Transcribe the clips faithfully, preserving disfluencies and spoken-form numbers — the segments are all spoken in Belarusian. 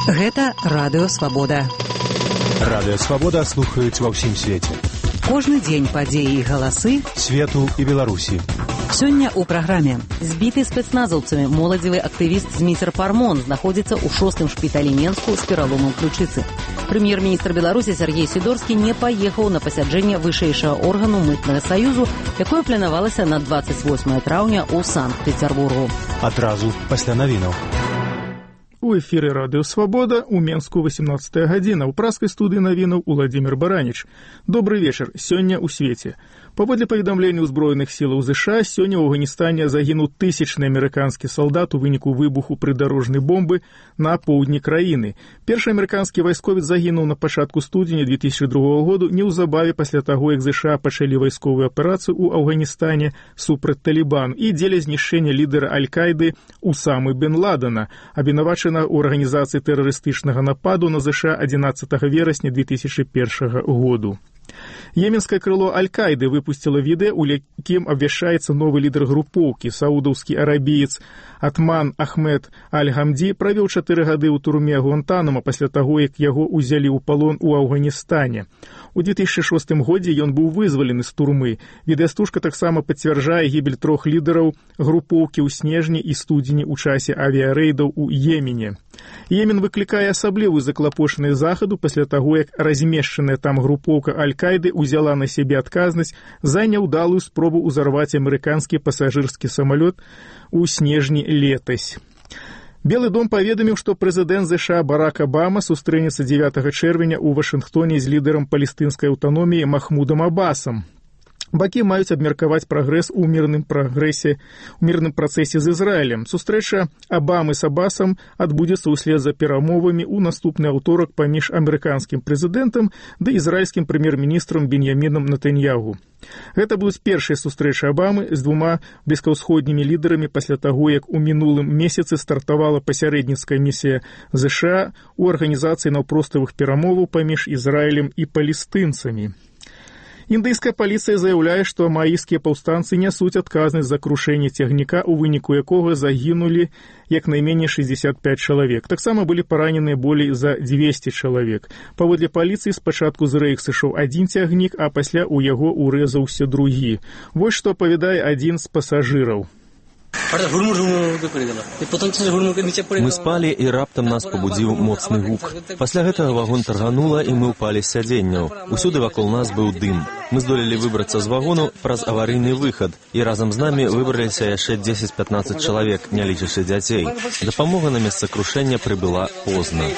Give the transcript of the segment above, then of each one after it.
Гэта Радыё Свабода. Радыё Свабода слухаюць ва ўсім свеце. Кожны дзень падзеі і галасы свету і Беларусі. Сёння ў праграме. Збіты спецназаўцамі моладзевы актывіст Зміцер Пармон знаходзіцца ў шостым шпіталі Менску з пераломам ключыцы. Прэм'ер-міністр Беларусі Сергей Сідорскі не паехаў на пасяджэнне вышэйшага органу мытнага саюзу, якое планавалася на дваццаць восьмае траўня ў Санкт-Петербургу. Адразу пасля навінаў. У эфіры Радыё Свабода, у Менску восемнадцатая гадзіна, у праскай студыі навінаў Уладзімір Бараніч. Добры вечар, сёння ў свеце. Паводле паведамлення ўзброеных сілаў ЗША, сёння ў Афганістане загінуў тысячны амерыканскі салдат у выніку выбуху прыдарожнай бомбы на поўдні краіны. Першы амерыканскі вайсковец загінуў на пачатку студзеня две тысячы другога году неўзабаве пасля таго, як ЗША пачалі вайсковую аперацыю ў Афганістане супраць Талібан і дзеля знішчэння лідара Аль-Кайды Усамы бен Ладена, абвінавачана ў арганізацыі тэрарыстычнага нападу на ЗША адзінаццатага верасня две тысячы першага году. Йеменскае крыло Аль-Кайды выпусціла відэа, у якім абвяшчаецца новы лідар групоўкі, саудаўскі арабіец Атман Ахмед Аль-Гамді правёў чатыры гады ў турме Гуантанамо пасля таго, як яго ўзялі ў палон у Афганістане. У две тысячы шостым годзе ён быў вызвалены з турмы. Відэастужка таксама пацвярджае гібель трох лідараў групоўкі ў снежні і студзені ў часе авіярэйдаў у Йемене. Йемен выклікае асаблівую заклапошанасць захаду пасля таго, як размешчаная там групоўка Аль-Кайды ўзяла на сябе адказнасць за няўдалую спробу ўзарваць амерыканскі пасажырскі самалёт у снежні летась. Белы дом паведаміў, што прэзідэнт ЗША Барак Абама сустрэнецца дзевятага чэрвеня ў Вашынгтоне з лідарам палестынскай аўтаноміі Махмудам Абасам. Бакі маюць абмеркаваць прагрэс у мірным прагрэсе, у мірным працэсе з Ізраілем. Сустрэча Абамы з Абасам адбудзецца ўслед за перамовамі ў наступны аўторак паміж амерыканскім прэзідэнтам ды ізраільскім прэм'ер-міністрам Беньямінам Нетаньягу. Гэта будуць першыя сустрэчы Абамы з двума блізкаўсходнімі лідарамі пасля таго, як у мінулым месяцы стартавала пасярэдніцкая місія ЗША ў арганізацыі наўпроставых перамоваў паміж Ізраілем і палестынцамі. Індыйская паліцыя заяўляе, што мааіскія паўстанцы нясуць адказнасць за крушэнне цягніка, у выніку якога загінулі як найменей шэсцьдзесят пяць чалавек. Таксама былі параненыя болей за дзвесце чалавек. Паводле паліцыі спачатку з рэек сышоў адзін цягнік, а пасля ў яго урэзаўся другі. Вось што апавядае адзін з пасажыраў. Мы спалі, і раптам нас пабудзіў моцны гук. Пасля гэтага вагон тарганула, і мы ўпалі з сядзенняў. Усюды вакол нас быў дым. Мы здолелі выбрацца з вагону праз аварыйны выхад, і разам з намі выбраліся яшчэ дзесяць-пятнаццаць чалавек, не лічачы дзяцей. Дапамога на месца крушэння прыбыла позна.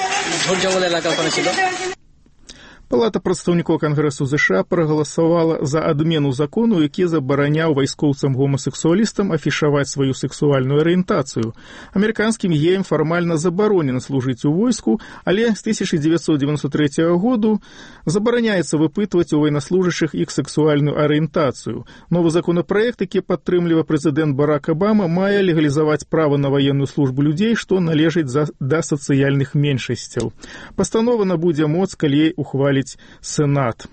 Палата прадстаўнікоў Кангрэсу ЗША прагаласавала за адмену закону, які забараняў вайскоўцам-гомасексуалістам афішаваць сваю сексуальную арыентацыю. Амерыканскім геям фармальна забаронена служыць у войску, але з тысяча дзевяцьсот дзевяносто трэцяга году забараняецца выпытваць у ваеннаслужачых іх сексуальную арыентацыю. Новы законапраект, які падтрымлівае прэзідэнт Барак Абама, мае легалізаваць права на ваенную службу людзей, што належыць за, да сацыяльных меншасцяў. Пастанова набудзе моц, калі ухваліць Сенат.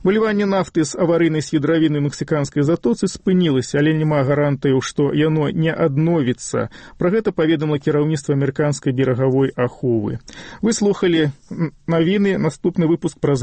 Выліванне нафты з аварыйнай свідравіны ў мексіканскай затоцы спынілася, але няма гарантыяў, што яно не адновіцца. Пра гэта паведаміла кіраўніцтва амерыканскай берагавой аховы. Вы слухалі навіны, наступны выпуск праз